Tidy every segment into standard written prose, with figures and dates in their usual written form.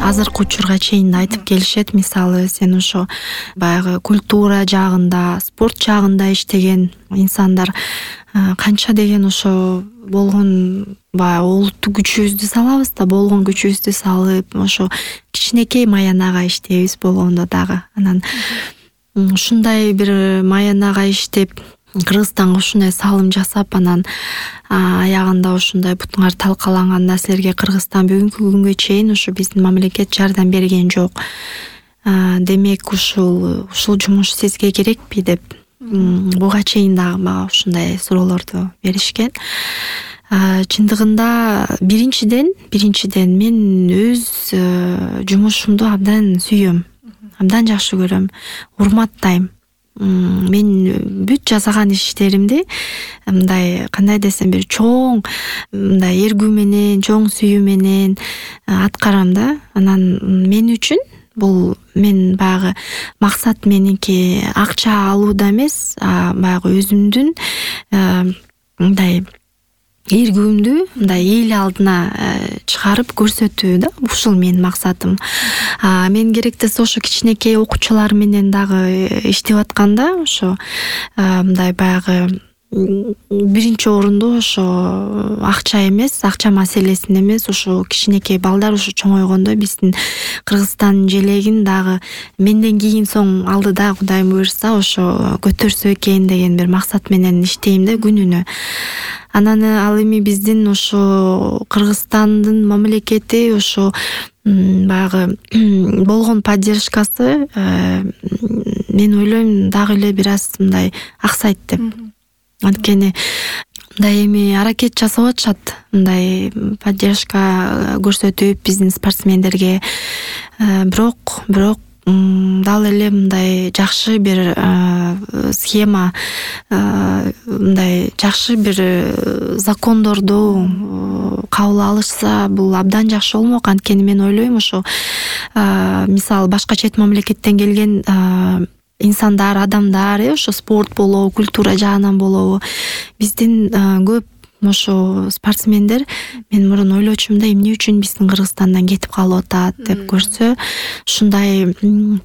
азыркы учурга чейин айтып келишет. Мисалы, сен ошо баягы культура жагында, спорт жагында иштеген инсандар канча деген ошо болгон баягы улуттук күчүбүздү салабыз да, болгон күчүбүздү салып, ошо кичинекей маянага иштейбиз болгондо дагы. Анан ушундай бир маянага иштеп, Кыргызстанга ушундай салым жасап, анан аягында ушундай бутуңар талкаланган нерселерге Кыргызстан бүгүнкү күнгө чейин ушу биздин мамлекет жардам берген жок. Демек ушул жумуш сизге керекпи деп буга чейин дагы мага ушундай суроолорду беришкен. Чындыгында биринчиден мен өз жумушумду абдан сүйөм, абдан жакшы көрөм, урматтайм. Мен бүт жасаган иштеримди мындай, кандай десем, бир чоң мындай эргүү менен, чоң сүйүү менен аткарам да. Анан мен үчүн бул, мен баягы максат меники акча алууда эмес, баягы өзүмдүн мындай эргүүмдү мындай эл алдына чыгарып көрсөтүү да. Ушул менин максатым. Мен керектесе ошо кичинекей окуучулар менен дагы иштеп атканда, ошо мындай баягы биринчи орунду ошо акча эмес, акча маселесин эмес, ошо кичинекей балдар ушу чоңойгондо биздин Кыргызстандын желегин дагы менден кийин соң алдыда Кудайым буйрса ошо көтөрсө экен деген бир максат менен иштейм да күнүнө. Анан ал эми биздин ошо Кыргызстандын мамлекети ошо баягы болгон поддержкасы мен ойлойм дагы эле бир аз мындай аксайт деп. Анткени мындай эми аракет жасап атышат, мындай поддержка көрсөтүп биздин спортсмендерге, бирок дал эле мындай жакшы бир схема, мындай жакшы бир закондорду кабыл алышса бул абдан жакшы болмок. Анткени мен ойлойм ошо мисалы башка чет мамлекеттен келген инсандар, адамдар, ошо спорт болобу, культура жагынан болобу, биздин көп ошо спортсмендер, мен мурун ойлочумун да, эмне үчүн биздин Кыргызстандан кетип калып атат деп көрсө, ушундай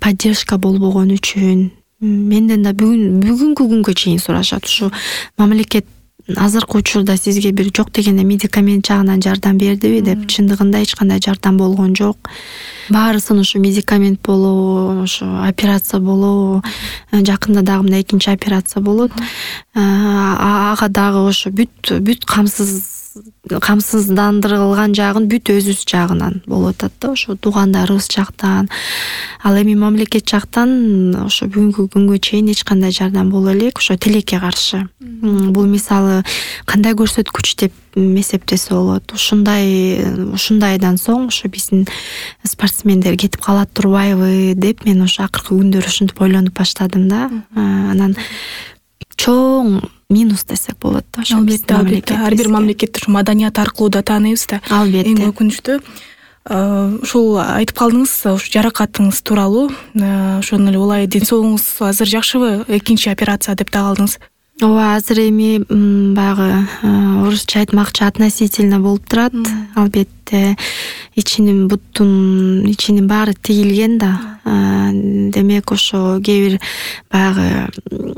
поддержка болбогон үчүн менден да бүгүнкү күнгө чейин сурашат. Ушу мамлекет азыркы учурда сизге бир жок дегенде медикамент жагынан жардам бердиби деп. Чындыгында эч кандай жардам болгон жок. Баарысын ушу медикамент болобу, ушу операция болобу, жакында дагы мына экинчи операция болот. Ага дагы ошо бүт камсыздандырылган жагын бүт өзүбүз жагынан болуп атат да, ошо туугандарыбыз жактан. Ал эми мамлекет жактан ошо бүгүнкү күнгө чейин эч кандай жардам боло элек, ошо тилекке каршы. Бул мисалы кандай көрсөткүч деп эсептесе болот. Ушундайдан соң ошо биздин спортсмендер кетип калат турбайбы деп мен ошо акыркы күндөр ушинтип ойлонуп баштадым да. Анан чоң минус десек болот да. Албетте, ар бир мамлекетти ушу маданият аркылуу да тааныйбыз да. Албетте. Эң өкүнүчтүү ушул айтып калдыңыз, ушу жаракатыңыз тууралуу. Ошону эле улай ден соолугуңуз азыр жакшыбы? Экинчи операция деп да калдыңыз. Ооба, азыр эми баягы орусча айтмакчы относительно болуп турат. Албетте, буттун ичинин баары тигилген да. Демек ошо кээ бир баягы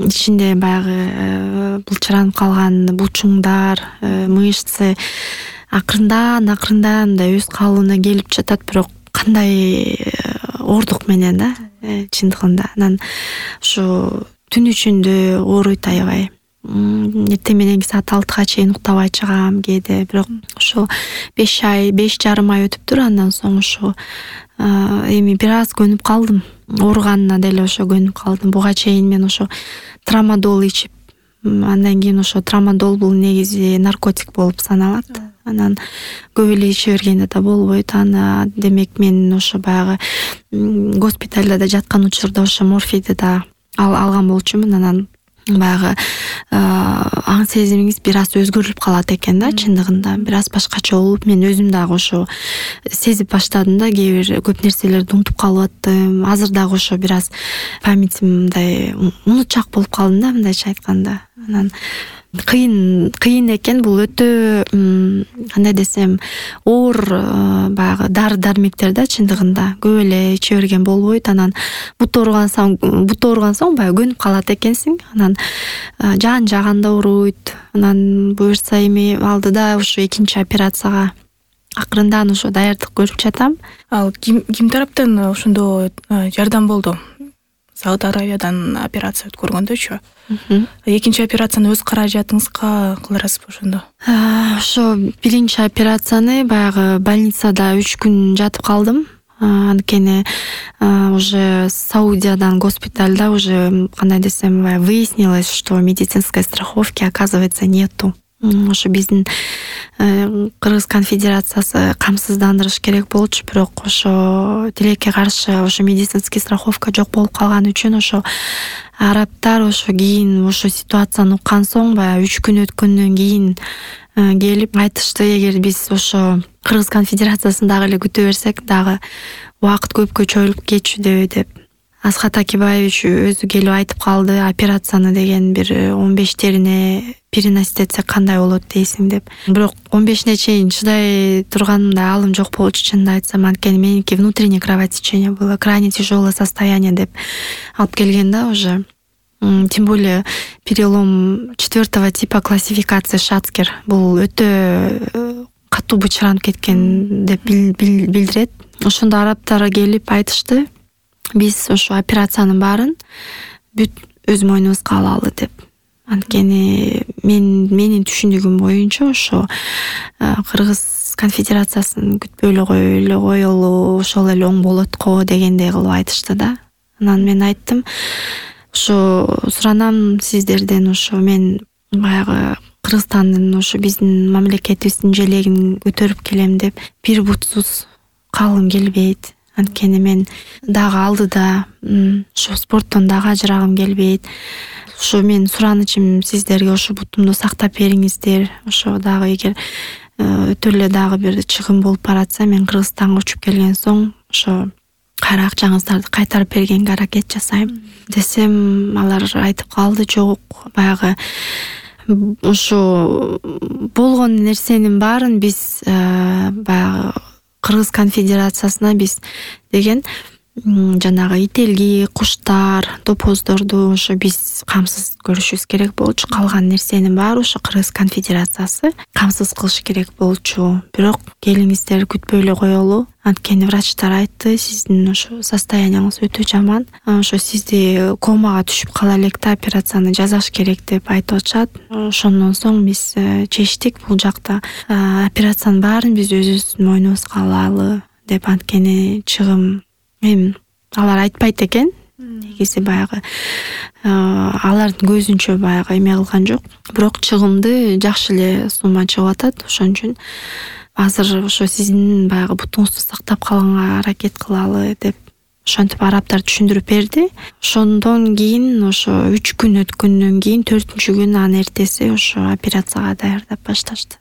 ичинде баягы булчуранып калган бучуңдар, мышцы акырындан мындай өз калыбына келип жатат, бирок кандай оордук менен да, чындыгында. Анан ошо түн ичинде ооруйт аябай. Эртең мененки саат 6-га чейин уктабай чыгам кээде, бирок ошо 5 жарым ай өтүптүр. Андан соң ошо эми бир аз көнүп калдым. Ооруганына деле ошо көнүп калдым. Буга чейин мен ошо трамадол ичип, андан кийин ошо трамадол бул негизи наркотик болуп саналат. Анан көп эле иче бергенде да болбойт. Демек мен ошо баягы госпитальда да жаткан учурда ошо морфийди да алган болчумун. Анан баягы аң сезимиңиз бир аз өзгөрүлүп калат экен да, чындыгында. Бир аз башкача болуп, мен өзүм дагы ошо сезип баштадым да, кээ бир көп нерселерди унутуп калып аттым. Азыр дагы ошо бир аз памятим мындай унутчак болуп калдым да, мындайча айтканда. Анан кыйын экен, бул өтө кандай десем, оор баягы дары дармектер да, чындыгында көп эле иче берген болбойт. Анан бут ооруган соң баягы көнүп калат экенсиң. Анан жан жаганда ооруйт. Анан буюрса эми алдыда ушу экинчи операцияга акырындан ошо даярдык көрүп жатам. Ал ким тараптан ошондо жардам болду? Сауд Аравиядан операция өткөргөндөчү. Экинчи операцияны өз каражатыңызга кыларасызбы ошондо? Ошо биринчи операцияны баягы больницада 3 күн жатып калдым. Анткени уже Саудиядан госпитальда уже кандай десем, выяснилось, что медицинской страховки, оказывается, нету. Ошо биздин Кыргыз конфедерациясы камсыздандырыш керек болчу, бирок ошо тилекке каршы ошо медицинский страховка жок болуп калган үчүн ошо арабтар ошо кийин ошо ситуацияны уккан соң баягы 3 күн өткөндөн кийин келип айтышты, эгер биз ошо Кыргыз конфедерациясын дагы эле күтө берсек, дагы убакыт көпкө чоюлуп кетчү деп. Асхат Акибаевич өзү келип айтып калды, операцияны деген бир 15-терине переносить этсек кандай болот дейсиң деп. Бирок 15-ине чейин чыдай турганымда алым жок болчу, чынын айтсам, анткени меники внутреннее кровотечение было, крайне тяжелое состояние деп алып келген да уже. Тем более перелом 4-го типа классификации Шацкер. Бул өтө катуу бычыранып кеткен деп билдирет. Ошондо арабтар келип айтышты, биз ошо операциянын баарын бүт өз мойнубузга алалы деп. Анткени менин түшүндүгүм боюнча ошо Кыргыз конфедерациясын күтпөй эле коелу, ошол эле оң болот го дегендей кылып айтышты да. Анан мен айттым, ошо суранам сиздерден, ошо мен баягы Кыргызстандын ошо биздин мамлекетибиздин желегин көтөрүп келем деп бир бутсуз калгым келбейт. Анткени мен дагы алдыда ошо спорттон дагы ажырагым келбейт. Ошо мен суранычым сиздерге ошо бутумду сактап бериңиздер. Ошо дагы эгер өтө эле дагы бир чыгым болуп баратса, мен Кыргызстанга учуп келген соң ошо кайра акчаңыздарды кайтарып бергенге аракет жасайм десем, алар айтып калды, жок, баягы ошо болгон нерсенин баарын биз баягы Кыргыз конфедерациясына биз деген жанагы ителги, куштар, топоздорду ошо биз камсыз көрүшүбүз керек болчу. Калган нерсенин баары ошо Кыргыз конфедерациясы камсыз кылыш керек болчу. Бирок келиңиздер, күтпөй эле коелу. Анткени врачтар айтты, сиздин ошо состоянияңыз өтө жаман. Ошо сизди комага түшүп кала элек да, операцияны жасаш керек деп айтып атышат. Ошондон соң биз чечтик бул жакта операциянын баарын биз өзүбүздүн мойнубузга алалы деп. Анткени чыгым эми алар айтпайт экен. Негизи баягы алардын көзүнчө баягы эме кылган жок. Бирок чыгымды жакшы эле сумма чыгып атат. Ошон үчүн азыр ошо сиздин баягы бутуңузду сактап калганга аракет кылалы деп ошентип арабтар түшүндүрүп берди. Ошондон кийин ошо 3 күн өткөндөн кийин 4-күн анын эртеси ошо операцияга даярдап башташты.